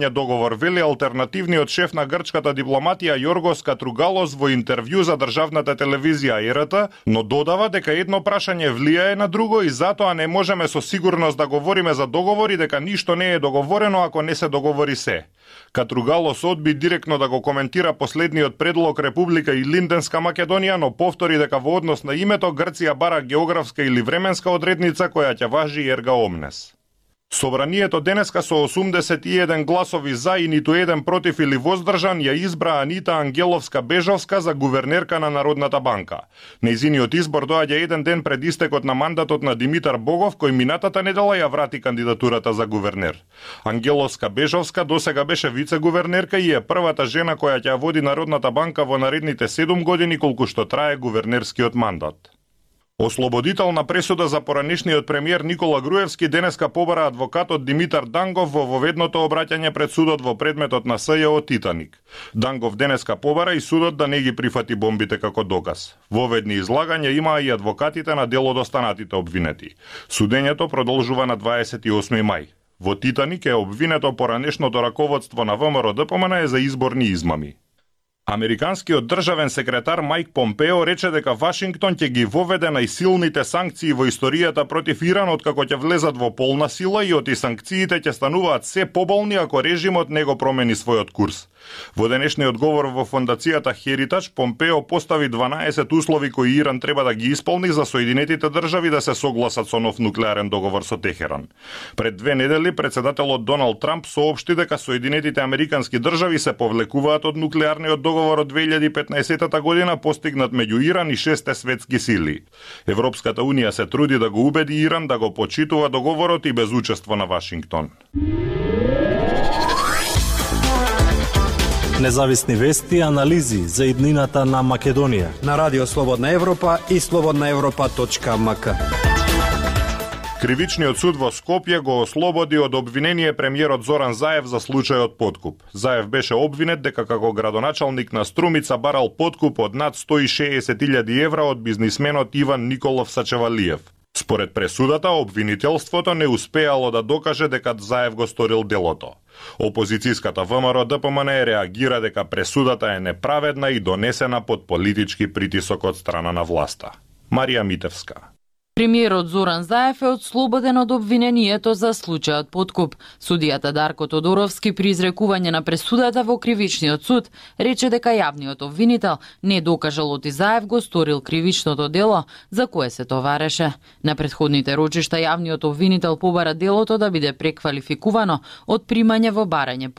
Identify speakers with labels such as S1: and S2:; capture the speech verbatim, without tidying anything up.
S1: договор, вели алтернативниот шеф на грчката дипломатија Јоргос Катругалос во интервју за државната телевизија Е Р Т, но додава дека едно прашање влијае на друго и затоа не можеме со сигурност да говориме за договори, дека ништо не е договорено ако не се договори се. Катругалос одби директно да го коментира последниот предлог Република и Линденска Македонија, но повтори дека во однос на името Грција бара географска или временска одредница која ќе важи ерга омнес. Собранието денеска со осумдесет и еден гласови за и ниту еден против или воздржан ја избра Анита Ангеловска-Бежовска за гувернерка на Народната банка. Нејзиниот избор доаѓа еден ден пред истекот на мандатот на Димитар Богов, кој минатата недела ја врати кандидатурата за гувернер. Ангеловска-Бежовска досега беше вице-гувернерка и е првата жена која ќе води Народната банка во наредните седум години колку што трае гувернерскиот мандат. Ослободителна пресуда за поранешниот премиер Никола Груевски денеска побара адвокатот Димитар Дангов во воведното обраќање пред судот во предметот на С Ј О Титаник. Дангов денеска побара и судот да не ги прифати бомбите како доказ. Воведни излагања имаа и адвокатите на дел од останатите обвинети. Судењето продолжува на дваесет и осми мај. Во Титаник е обвинето поранешното раководство на В М Р Д П М Н за изборни измами. Американскиот државен секретар Мајк Помпео рече дека Вашингтон ќе ги воведе најсилните санкции во историјата против Иран откако ќе влезат во полна сила и оти санкциите ќе стануваат се поболни ако режимот не го промени својот курс. Во денешниот говор во фондацијата Heritage, Помпео постави дванаесет услови кои Иран треба да ги исполни за Соединетите држави да се согласат со нов нуклеарен договор со Техеран. Пред две недели председателот Доналд Трамп соопшти дека Соединетите американски држави се повлекуваат од нуклеарниот договор од две илјади и петнаесета година постигнат меѓу Иран и шесте светски сили. Европската унија се труди да го убеди Иран да го почитува договорот и без учество на Вашингтон.
S2: Независни вести и анализи за иднината на Македонија
S3: на Радио Слободна Европа и слободна европа точка м к.
S1: Кривичниот суд во Скопје го ослободи од обвинение премиерот Зоран Заев за случајот подкуп. Заев беше обвинет дека како градоначалник на Струмица барал подкуп од над сто и шеесет илјади евра од бизнисменот Иван Николов Сачевалиев. Според пресудата, обвинителството не успеало да докаже дека Заев го сторил делото. Опозицијската В М Р Д П М Н реагира дека пресудата е неправедна и донесена под политички притисок од страна на власта. Марија Митевска.
S4: Премиерот Зоран Заев е отслободен од обвинението за случајот подкуп. Судијата Дарко Тодоровски при изрекување на пресудата во кривичниот суд рече дека јавниот обвинител не докажал оти Заев го сторил кривичното дело за кое се товареше. На претходните рочишта јавниот обвинител побара делото да биде преквалификувано од примање во барање